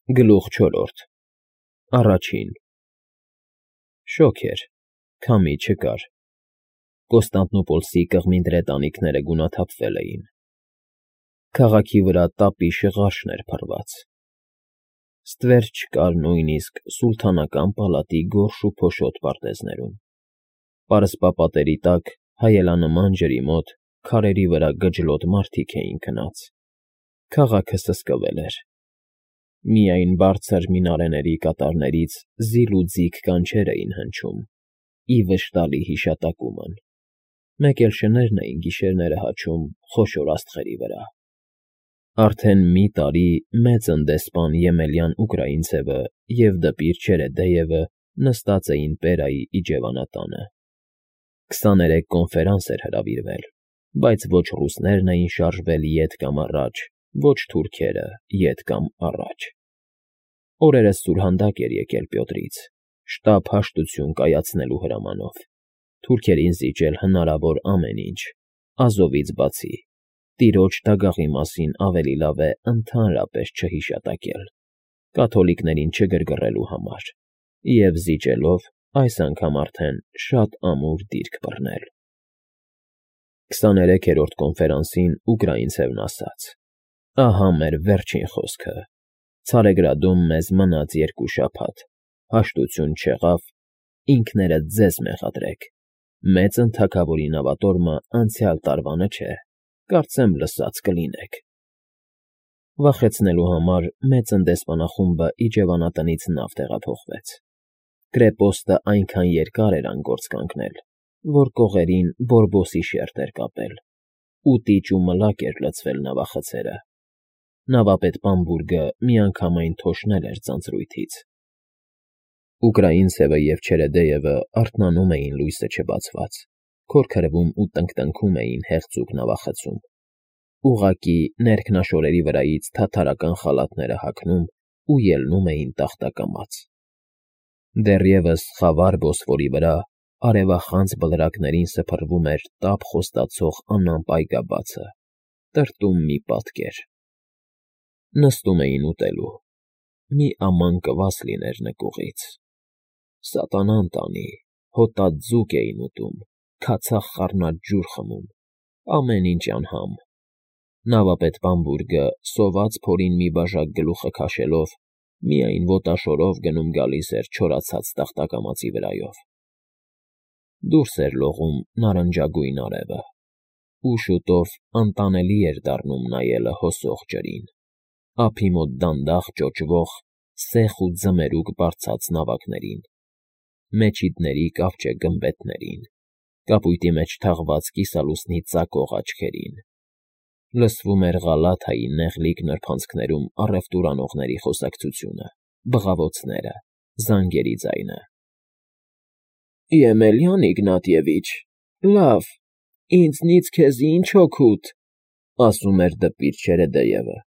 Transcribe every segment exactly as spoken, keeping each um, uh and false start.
Գլուխ չորրորդ Առաջին Շոգ էր, քամի չկար, Կոստանդնուպոլսի կղմինդրե տանիքները գունաթափվել էին, քաղաքի վրա տապի շղարշն էր փռված, ստվեր չկար նույնիսկ սուլթանական պալատի գորշ ու փոշոտ պարտեզներում, պարսպապատերի տակ հայելանման ջրի մոտ քարերի վրա գջլոտ մարդիկ էին քնած, քաղաքը սսկվել էր, միայն բարձր մինարեների կատարներից զիլ ու ձիգ կանչեր էին հնչում, ի վշտալի հիշատակումն, մեկ էլ շներն էին գիշերները հաչում խոշոր աստղերի վրա. Արդեն մի տարի մեծն դեսպան Եմելյան Ուկրաինցևը և դպիր Չերեդեևը նստած էին Պերայի իջևանատանը, քսաներեք կոնֆերանս էր հրավիրվել, բայց ոչ ռուսներն էին շարժվել ետ կամ առաջ, ոչ թուրքերը ետ կամ առաջ, օրերս սուրհանդակ էր եկել Պյոտրից, շտապ հաշտություն կայացնելու հրամանով, թուրքերին զիջել հնարավոր ամեն ինչ, Ազովից բացի, տիրոջ դագաղի մասին ավելի լավ է ընդհանրապես չհիշատակել, կաթոլիկներին չգրգռելու համար, և զիջելով այս անգամ արդեն շատ ամուր դիրք բռնել։ Քսաներեքերորդ կոնֆերանսին Ուկրաինցևն ասաց. «Ահա մեր վերջին խոսքը, Ցարեգրադում մեզ մնաց երկու շաբաթ, հաշտություն չեղավ, ինքներդ ձեզ մեղադրեք, մեծն թագավորի նավատորմը անցյալ տարվանը չէ, կարծեմ լսած կլինեք»։ Վախեցնելու համար մեծն դեսպանախումբը իջևանատնից նավ տեղափոխվեց, կրեպոստը այնքան երկար էր անգործ կանգնել, որ կողերին բորբոսի շերտ էր կապել, ու տիճ ու մլակ էր լցվել նավախցերը, նավապետ Բամբուրգը միանգամայն թոշնել էր ձանձրույթից։ Ուկրաինցևը և Չերեդեևը արթնանում էին լույսը չբացված, քորքրվում ու տնկտնքում էին հեղձուկ նավախցում, ուղղակի ներքնաշորերի վրայից թաթարական խալաթները հագնում ու ելնում էին տախտակամաց։ Դեռևս խավար Բոսֆորի վրա արևախանձ բլրակներին սփռվում էր տափ խոստացող անամպ այգաբացը, տրտում մի պատկեր։ Նստում էին ուտելու, մի աման կվաս լիներ նկուղից, սատանան տանի, հոտած ձուկ էին ուտում, քացախ խառնած ջուր խմում, ամեն ինչ անհամ, նավապետ Բամբուրգը սոված փորին մի բաժակ գլուխը քաշելով, միայն ոտաշորով գնում֊գալիս էր չորացած տախտակամածի վրայով։ Դուրս էր լողում նարնջագույն արևը, ու շուտով անտանելի էր դառնում նայելը հոսող ջրին, ափի մոտ դանդաղ ճոճվող, սեխ ու ձմերուկ բարձած նավակներին, մեջիդների կավճե գմբեթներին, կապույտի մեջ թաղված կիսալուսնի ծակող աչքերին, լսվում էր Ղալաթայի նեղլիկ նրբանցքներում առևտուր անողների խոսակցությունը, բղավոցները, զանգերի ձայնը։ «Եմելյան Իգնատիևիչ, լավ, ինձնից քեզ ինչ օգուտ», ասում էր դպիր Չերեդեևը,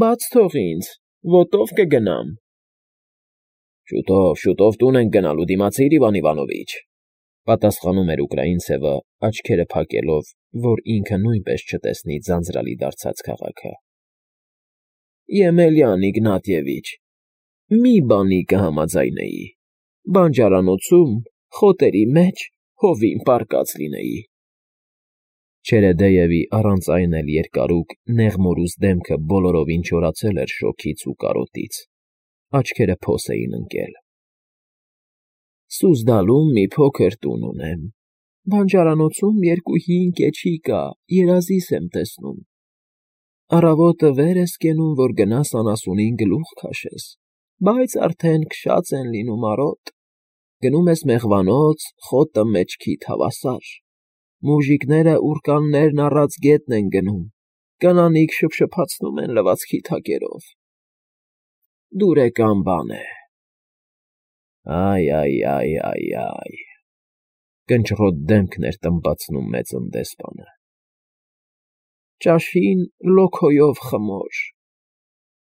«բաց թող ինձ, ոտով կգնամ»։ «Շուտով, շուտով տուն ենք գնալու, դիմացիր, Իվան Իվանովիչ», պատասխանում էր Ուկրաինցևը, աչքերը փակելով, որ ինքը նույնպես չտեսնի ձանձրալի դարձած քաղաքը։ «Եմելյան Իգնատիևիչ, մի բանի կհամաձայնեի, բանջարանոցում, խոտերի մեջ հովին պառկած լինեի»։ Չերեդեևի առանց այն էլ երկարուկ, նեղմորուս դեմքը բոլորովին չորացել էր շոգից ու կարոտից, աչքերը փոս էին ընկել։ «Սուզդալում մի փոքր տուն ունեմ, բանջարանոցում երկու հին կեչի կա, երազիս եմ տեսնում, առավոտը վեր ես կենում, որ գնաս անասունին գլուխ քաշես, բայց արդեն քշած են լինում արոտ, գնում ես մեղվանոց, խոտը մեջքիդ հավասար, մուժիկները ուռկաններն առած գետն են գնում, կանանիք շփշփացնում են լվացքի թակերով, դուրեկան բան է»։ «Այ֊այ֊այ֊այ֊այ», կնճռոտ դեմքն էր տմբացնում մեծն դեսպանը։ «Ճաշին լոքոյով խմոր»,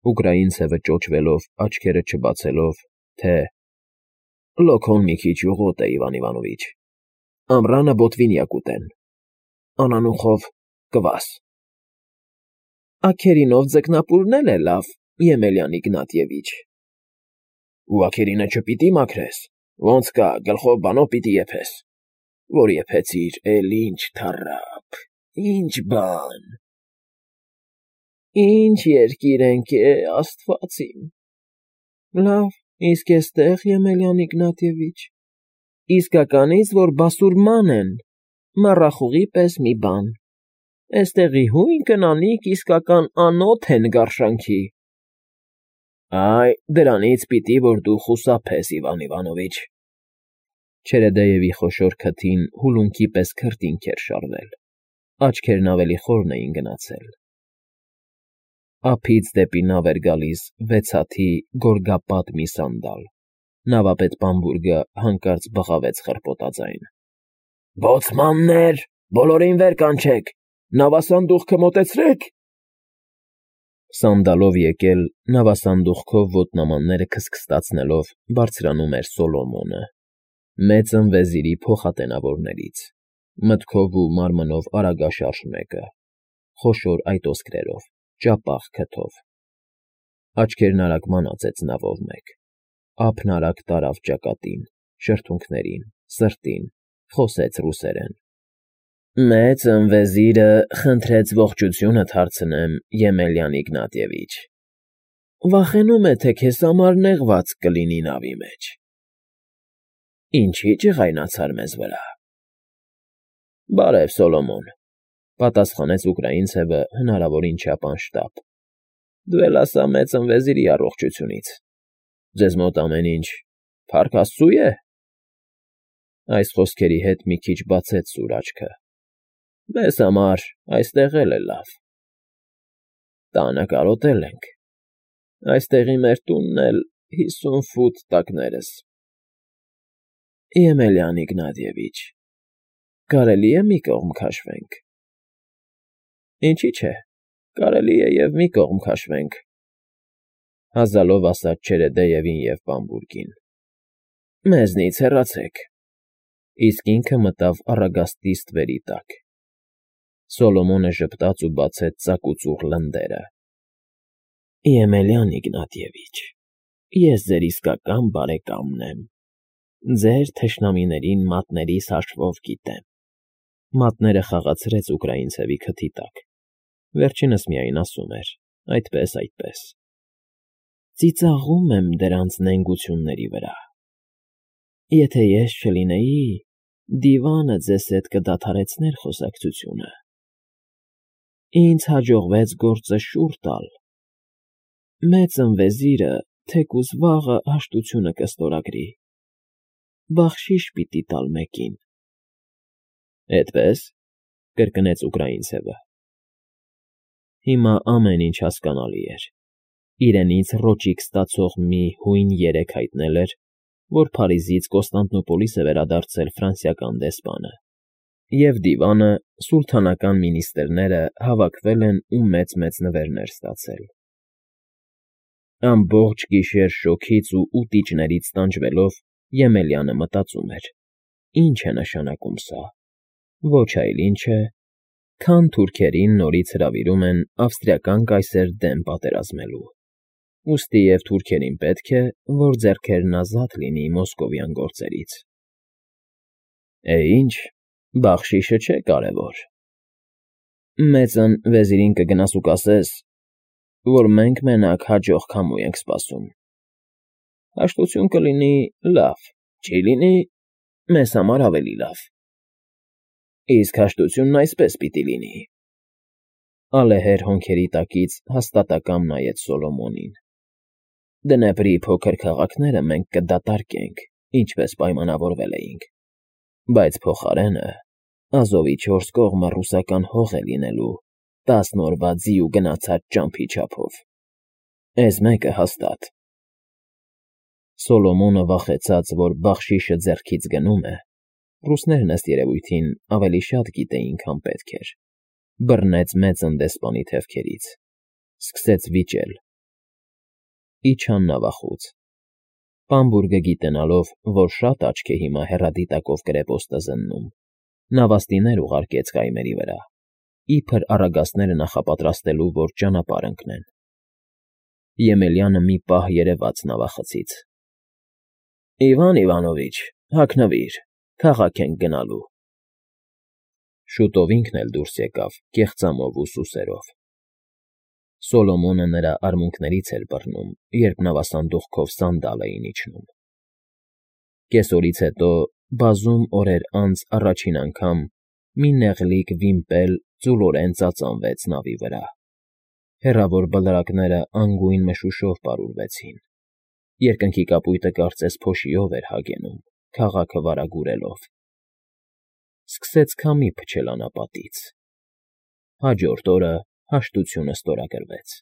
Ուկրաինցևը ճոճվելով, աչքերը չբացելով, թե «Լոքոն մի քիչ ուղոտ է, Իվան Իվանովիչ, ամռանը բոտվինյա կուտեն, անանուխով կվաս»։ «Աքերինով ձկնապուրն էլ է լավ, Եմելյան Իգնատիևիչ, Ուղակերինը չպիտի մաքրես, ոնց կա գլխով բանով պիտի եփես, որ եփեցիր, էլ ինչ թառապ, ինչ բան… Ինչ երկիր ենք է, աստված իմ… Լավ, իսկ էստեղ, Եմելյան Իգնատիևիչ, իսկականից որ բասուրման են, մառախուղի պես մի բան, էստեղի հույն կնանիք իսկական անոթ են գարշանքի… Այ, դրանից պիտի որ դու խուսափես, Իվան Իվանովիչ… Չերեդեևի խոշոր քթին հուլունքի պես քրտինք էր շարվել, աչքերն ավելի խորն էին գնացել… Ափից դեպի նավ էր գալիս վեցաթի գորգապատ մի սանդալ, նավապետ Բամբուրգը հանկարծ բղավեց խռպոտաձայն. Բոցմաննե՛ր, բոլորին վեր կանչեք, նավասանդուղքը մոտեցրե՛ք… Սանդալով եկել, նավասանդուղքով ոտնամանները քստքստացնելով բարձրանում էր Սոլոմոնը, մեծն վեզիրի փոխատենավորներից, մտքով ու մարմնով արագաշարժ մեկը, խոշոր այտոսկրերով, ճապաղ քթով… Աչքերն արագ մանածեց նավով մեկ, ափն արագ տարավ ճակատին, շրթունքներին, սրտին, խոսեց ռուսերեն. Մեծն վեզիրը խնդրեց ողջությունդ հարցնեմ, Եմելյան Իգնատիևիչ… Վախենում է, թե քեզ համար նեղված կլինի նավի մեջ… Ինչի՞ ջղայնացար մեզ վրա… Բարև, Սոլոմոն,֊ պատասխանեց ուկրաինցևը հնարավորին չափ անշտապ,֊ դու էլ ասա մեծն վեզիրի առողջությունից… Ձեզ մոտ ամեն ինչ փառք աստծու է… Այս խոսքերի հետ մի քիչ բացեց սուր աչքը,֊ Մեզ համար այստեղ էլ է լավ… Տանը կարոտել ենք, այստեղի մեր տունն էլ հիսուն ֆուտ տակներս… Եմելյան Իգնատիևիչ, կարելի՞ է մի կողմ քաշվենք… Ինչի՞ չէ, կարելի է և մի կողմ քաշվենք,֊ հազալով ասաց Չերեդեևին և Բամբուրգին,֊ մեզնից հեռացեք… Իսկ ինքը մտավ առագաստի ստվերի տակ… Սոլոմոնը ժպտաց ու բացեց ծակուծուռ լնդերը,֊ Եմելյան Իգնատիևիչ, ես ձեր իսկական բարեկամն եմ, ձեր թշնամիներին մատներիս հաշվով գիտեմ… Մատները խաղացրեց ուկրաինցևի քթի տակ, վերջինս միայն ասում էր. այդպես, այդպես… Ծիծաղում եմ դրանց նենգությունների վրա… Եթե ես չլինեի, դիվանը ձեզ հետ կդադարեցներ խոսակցությունը… Ինձ հաջողվեց գործը շուռ տալ… Մեծն վեզիրը թեկուզ վաղը հաշտությունը կստորագրի… Բախշիշ պիտի տալ մեկին… Էդպե՞ս,֊ կրկնեց ուկրաինցևը… Հիմա ամեն ինչ հասկանալի էր… Իրենից ռոճիկ ստացող մի հույն երեկ հայտնել էր, որ Փարիզից Կոստանդնուպոլիս է վերադարձել ֆրանսիական դեսպանը, և դիվանը, սուլթանական մինիստրները հավաքվել են ու մեծ֊մեծ նվերներ ստացել… Ամբողջ գիշեր շոգից ու ուտիճներից տանջվելով Եմելյանը մտածում էր. ի՞նչ է նշանակում սա… Ոչ այլ ինչ է, քան թուրքերին նորից հրավիրում են ավստրիական կայսեր դեմ պատերազմելու, ուստի և թուրքերին պետք է, որ ձեռքերն ազատ լինի մոսկովյան գործերից… Է, ինչ, բախշիշը չէ կարևոր… Մեծն վեզիրին կգնաս ու կասես, որ մենք մենակ հաջող քամու ենք սպասում… Հաշտություն կլինի, լավ, չի լինի, մեզ համար ավելի լավ… Իսկ հաշտությունն այսպես պիտի լինի… Ալեհեր հոնքերի տակից հաստատակամ նայեց Սոլոմոնին,֊ Դնեպրի փոքր քաղաքները մենք կդատարկենք, ինչպես պայմանավորվել էինք, բայց փոխարենը Ազովի չորս կողմը ռուսական հող է լինելու տասն օրվա ձի ու գնացած ճամփի չափով… Էս մեկը հաստատ… Սոլոմոնը վախեցած, որ բախշիշը ձեռքից գնում է, ռուսներն, ըստ երևույթին, ավելի շատ գիտեին, քան պետք էր, բռնեց մեծն դեսպանի թևքերից, սկսեց վիճել… Իջան նավախուց… Բամբուրգը գիտենալով, որ շատ աչք է հիմա հեռադիտակով կրեպոստը զննում, նավաստիներ ուղարկեց կայմերի վրա, իբր առագաստները նախապատրաստելու, որ ճանապարհ ընկնեն… Եմելյանը մի պահ երևաց նավախցից, Իվան Իվանովիչ, հագնվիր, քաղաք ենք գնալու։ Շուտով ինքն էլ դուրս եկավ կեղծամով ու սուսերով։ Սոլոմոնը նրա արմունկներից էր բռնում, երբ նավասանդուղքով սանդալ էին իջնում։ Կեսօրից հետո, բազում օրեր անց առաջին անգամ մի նեղլիկ վիմպել ձուլորեն ծածանվեց նավի վրա, հեռավոր բլրակները անգույն մշուշով պարուրվեցին, երկնքի կապույտը կարծես փոշիով էր հագենում, քաղաքը վարագուրելով։ Սկսեց քամի փչել անապատից։ Հաջորդ օրը հաշտությունը ստորագրվեց։